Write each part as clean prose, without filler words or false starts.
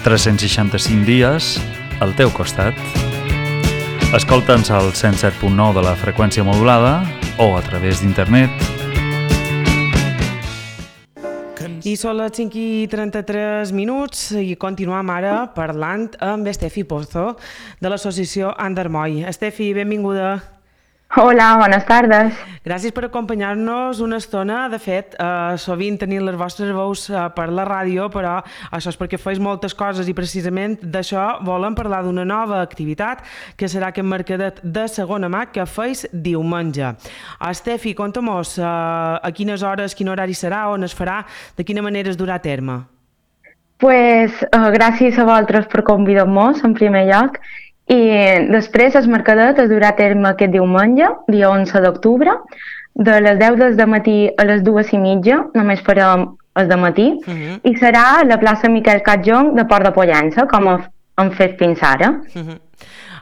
365 dies al teu costat. Escolta'ns al 107.9 de la freqüència modulada o a través d'internet. I són les 5:33 i continuem ara parlant amb Estefi Pozo de l'associació Andermoy. Estefi, benvinguda. Hola, bones tardes. Gràcies per acompanyar-nos una estona. De fet, sovint tenim les vostres veus per la ràdio, però això és perquè feis moltes coses i precisament d'això volem parlar d'una nova activitat que serà aquest mercadet de segona mà que feis diumenge. Estefi, conta-mos a quines hores, quin horari serà, on es farà, de quina manera es durà a terme. Gràcies a vosaltres per convidar-nos en primer lloc. I després el mercadet es durà a terme aquest diumenge, dia 11 d'octubre, de les 10 del matí a les 2:30, només farem el dematí, i serà a la plaça Miquel Catjong de Port de Pollença, com hem fet fins ara.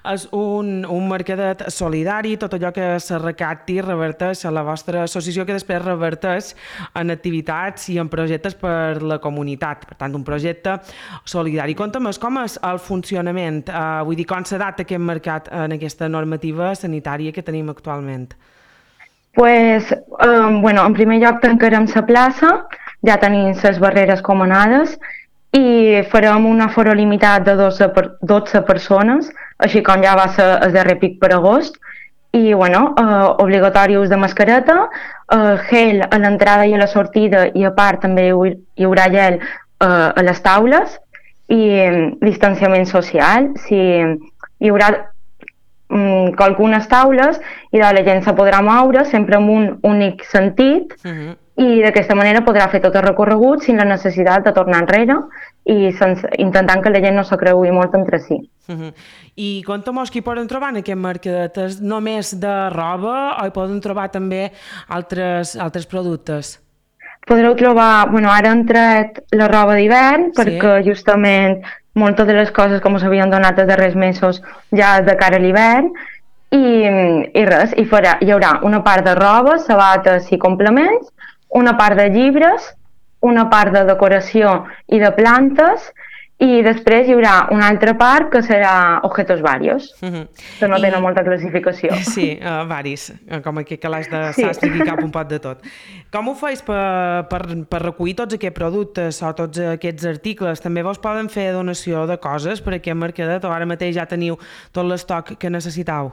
És un mercadet solidari, tot allò que se recapti reverteix a la vostra associació, que després reverteix en activitats i en projectes per la comunitat. Per tant, un projecte solidari. Conta'm, com és el funcionament? Vull dir, com s'adapta aquest mercat en aquesta normativa sanitària que tenim actualment? En primer lloc tancarem la plaça, ja tenim les barreres comanades, i farem un aforo limitat de 12 persones, així com ja va ser el darrer pic per agost, i obligatori ús de mascareta, gel a l'entrada i a la sortida, i a part també hi haurà gel a les taules, i distanciament social. Hi haurà algunes taules i la gent se podrà moure sempre en un únic sentit, i d'aquesta manera podrà fer tot el recorregut sense la necessitat de tornar enrere i intentant que la gent no se creui molt entre si. I conta'm-nos qui poden trobar en aquest mercadet? És només de roba o hi poden trobar també altres productes? Podreu trobar, ara han tret la roba d'hivern, perquè justament moltes de les coses com s'havien donat els darrers mesos ja de cara a l'hivern, i res, hi haurà una part de roba, sabates i complements, una part de llibres, una part de decoració i de plantes, i després hi haurà una altra part que serà objetos varios, que no tenen molta classificació. Sí, varis, com aquest calaix de sastre que hi cap un pot de tot. Com ho feis per recollir tots aquests productes o tots aquests articles? També vos poden fer donació de coses per aquest mercadet o ara mateix ja teniu tot l'estoc que necessitau?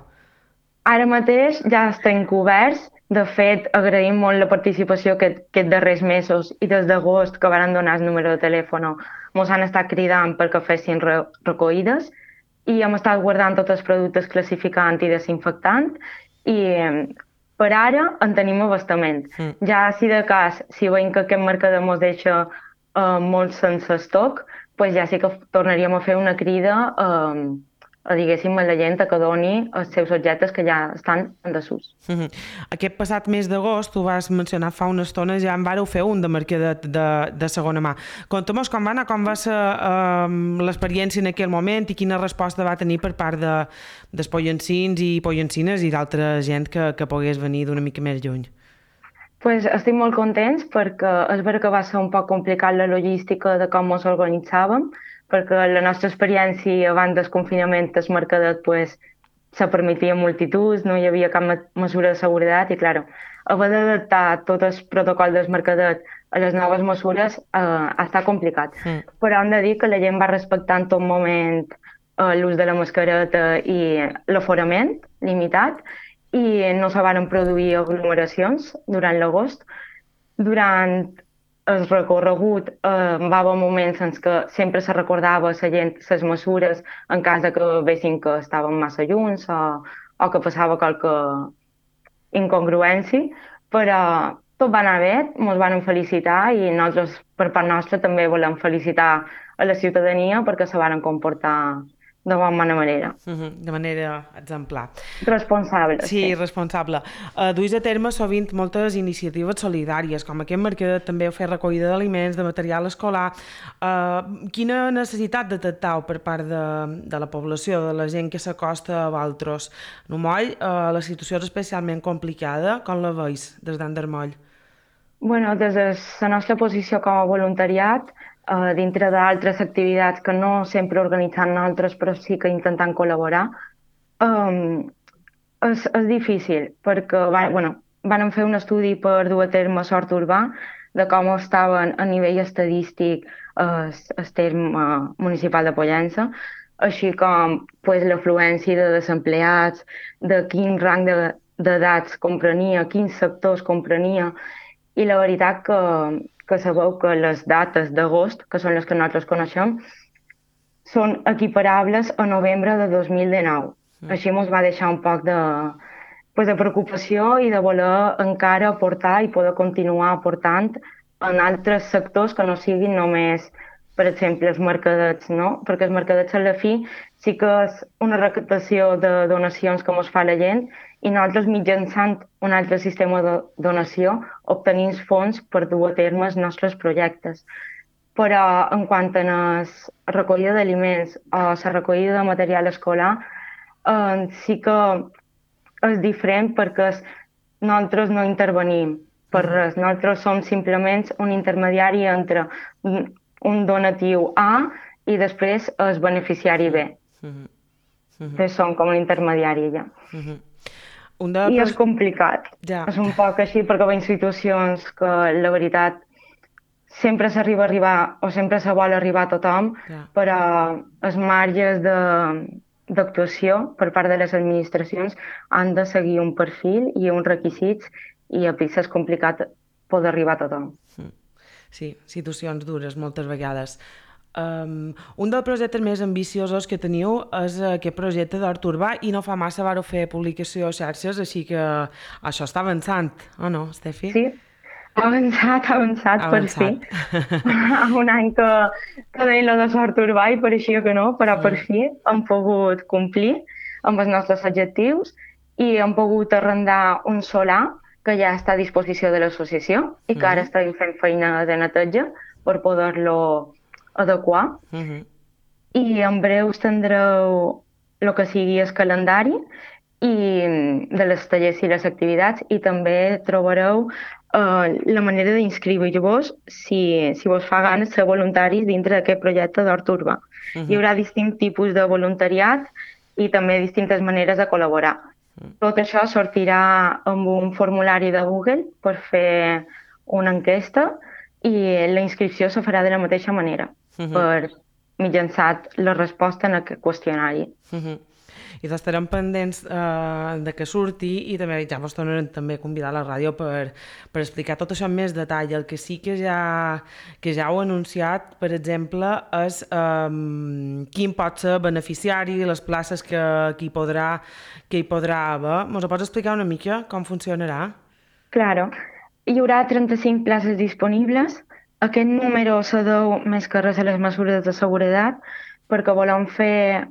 Ara mateix ja estem coberts. De fet, agraïm molt la participació aquests darrers mesos i des d'agost que van donar el número de telèfon ens han estat cridant perquè fessin recollides i hem estat guardant tots els productes classificant i desinfectant i per ara en tenim abastament. Ja si de cas, si veiem que aquest mercadet ens deixa molt sense estoc, ja sí que tornaríem a fer una crida a la gent que doni els seus objectes que ja estan en desús. Aquest passat mes d'agost, tu vas mencionar fa una estona, ja en vareu fer un de mercadet de segona mà. Conta'm com va anar, com va ser l'experiència en aquell moment i quina resposta va tenir per part dels pollencins i pollencines i d'altra gent que pogués venir d'una mica més lluny. Estic molt contents perquè és veritat que va ser un poc complicat la logística de com ens organitzàvem, perquè la nostra experiència abans del confinament el mercadet se permetia multituds, no hi havia cap mesura de seguretat i, clar, haver d'adaptar tot el protocol del mercadet a les noves mesures ha estat complicat. Però hem de dir que la gent va respectar en tot moment l'ús de la mascareta i l'aforament limitat i no se van produir aglomeracions durant l'agost. Durant el recorregut va haver moments en què sempre se recordava a la gent les mesures en cas que vessin que estaven massa junts o que passava qualque incongruència, però tot va anar bé, ens van felicitar i nosaltres per part nostra també volem felicitar a la ciutadania perquè se van comportar de bona manera. De manera exemplar. Responsable. Sí, responsable. Duis a terme sovint moltes iniciatives solidàries, com aquest mercadet també heu fet recollida d'aliments, de material escolar. Quina necessitat detectau per part de la població, de la gent que s'acosta a vosaltres? En Moll, la situació és especialment complicada. Com la veus des d'Andermoll? Des de la nostra posició com a voluntariat, dintre d'altres activitats que no sempre organitzant nosaltres, però sí que intentant col·laborar, és difícil, perquè van fer un estudi per dur a terme sort urbà de com estaven a nivell estadístic el terme municipal de Pollença, així com pues, l'afluència de desempleats, de quin rang d'edats comprenia, quins sectors comprenia, i la veritat que sabeu que les dates d'agost, que són les que nosaltres coneixem, són equiparables a novembre de 2019. Així ens va deixar un poc de preocupació i de voler encara aportar i poder continuar aportant en altres sectors que no siguin només, per exemple, els mercadets, no? Perquè els mercadets a la fi sí que és una recaptació de donacions que ens fa la gent i nosaltres mitjançant un altre sistema de donació obtenim fons per dur a terme els nostres projectes. Però en quant a la recollida d'aliments o la recollida de material escolar, sí que és diferent perquè nosaltres no intervenim per res. Nosaltres som simplement un intermediari entre un donatiu A i després el beneficiari B. Entonces som com un intermediari ja. I és complicat. Ja. És un poc així perquè veiem situacions que la veritat sempre s'arriba a arribar o sempre se vol arribar a tothom, però els marges d'actuació per part de les administracions han de seguir un perfil i uns requisits i a és complicat poder arribar a tothom. Sí, situacions dures moltes vegades. Un dels projectes més ambiciosos que teniu és aquest projecte d'Hort Urbà i no fa massa vareu fer publicació a xarxes, així que això està avançant, o no, Estefi? Sí, ha avançat per fi. Un any que deia lo de Hort Urbà i pareixia que no, però per fi hem pogut complir amb els nostres objectius i hem pogut arrendar un solar que ja està a disposició de l'associació i que ara estem fent feina de neteja per poder-lo adequar. I en breu tindreu el que sigui el calendari de les tallers i les activitats i també trobareu la manera d'inscriure-vos si vos fa gana ser voluntaris dintre d'aquest projecte d'Hort Urbà. Hi haurà distints tipus de voluntariat i també distintes maneres de col·laborar. Tot això sortirà amb un formulari de Google per fer una enquesta i la inscripció se farà de la mateixa manera, per mitjançant la resposta en aquest qüestionari. I estarem pendents de que surti i també ja vos tornarem també a convidar a la ràdio per explicar tot això amb més detall. El que sí que ja heu anunciat, per exemple, és quin pot ser beneficiari, les places que hi podrà haver. Ens ho pots explicar una mica com funcionarà? Claro. Hi haurà 35 places disponibles. Aquest número se deu més que res a les mesures de seguretat perquè volem fer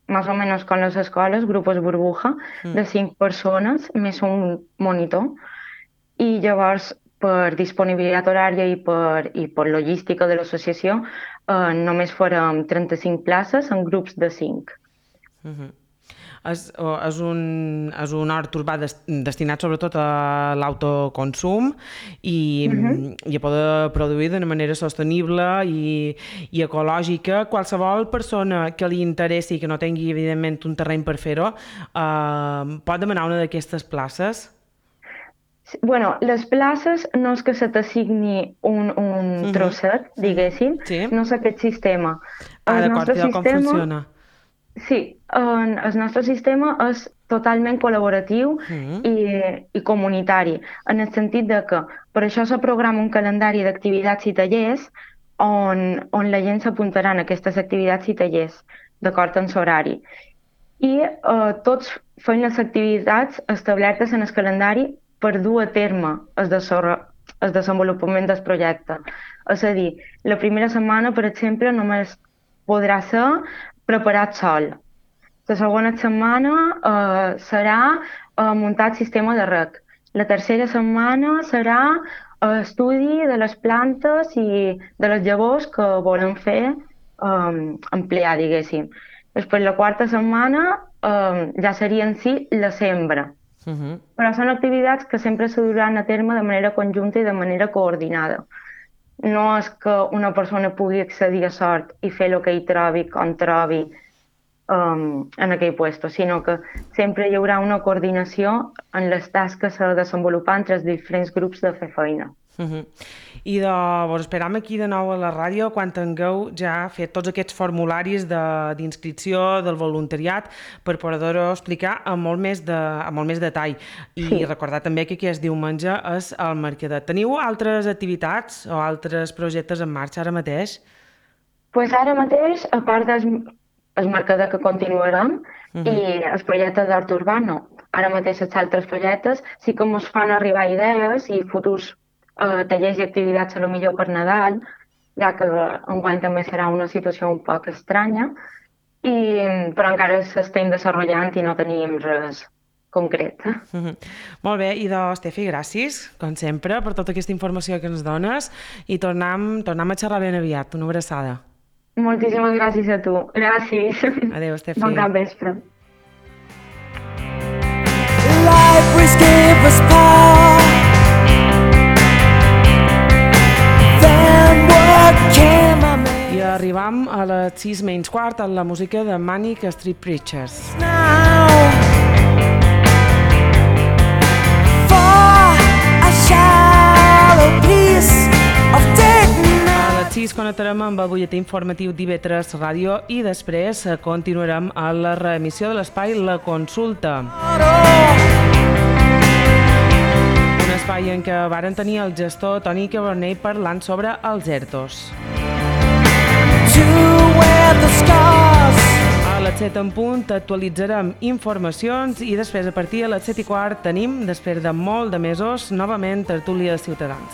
més o menys com les escoles, grupos burbuja, de 5 persones, més un monitor. I llavors, per disponibilitat horària i per logística de l'associació, només farem 35 places en grups de 5. És un hort urbà destinat sobretot a l'autoconsum i a poder produir d'una manera sostenible i ecològica. Qualsevol persona que li interessi i que no tingui, evidentment, un terreny per fer-ho, pot demanar una d'aquestes places? Bueno, les places no és que se t'assigni un trosset, diguéssim, no és aquest sistema. D'acord, com funciona? Sí, el nostre sistema és totalment col·laboratiu i comunitari, en el sentit de que per això se programa un calendari d'activitats i tallers on la gent s'apuntarà en aquestes activitats i tallers, d'acord amb l'horari. I tots fem les activitats establertes en el calendari per dur a terme el desenvolupament del projecte. És a dir, la primera setmana, per exemple, només podrà ser preparat sol. La segona setmana serà muntar el sistema de reg. La tercera setmana serà estudi de les plantes i de les llavors que volem fer emplear, diguéssim. Després, la quarta setmana ja seria en si la sembra. Però són activitats que sempre se duran a terme de manera conjunta i de manera coordinada. no és que una persona pugui accedir a sort i fer el que hi trobi, com trobi, en aquell lloc, sinó que sempre hi haurà una coordinació en les tasques que s'ha de desenvolupar entre els diferents grups de fer feina. I vos esperam aquí de nou a la ràdio quan tingueu ja fet tots aquests formularis d'inscripció del voluntariat per poder-ho explicar amb molt més detall. I recordar també que aquest diumenge és el Mercadet. Teniu altres activitats o altres projectes en marxa ara mateix? Pues ara mateix, a part del Mercadet que continuarem i el projecte d'art urbà, no. Ara mateix els altres projectes sí que ens fan arribar idees i futurs tallers i activitats a lo millor per Nadal, ja que enguany també serà una situació un poc estranya, però encara s'estem desenvolupant i no tenim res concret. Molt bé, i Estefi, gràcies, com sempre, per tota aquesta informació que ens dones i tornem a xerrar ben aviat. Una abraçada. Moltíssimes gràcies a tu. Gràcies. Adéu, Estefi. Bon capvespre. Life gave us power. I arribam a les 6:15 amb la música de Manic Street Preachers. A les 6 connectarem amb el butlletí informatiu d'IV3 Ràdio i després continuarem a la reemissió de l'espai La Consulta. Un espai en què varen tenir el gestor Toni Cabernet parlant sobre els ERTOs. A les 7 en punt actualitzarem informacions i després a partir de les 7:15 tenim, després de molt de mesos, novament tertúlia de Ciutadans.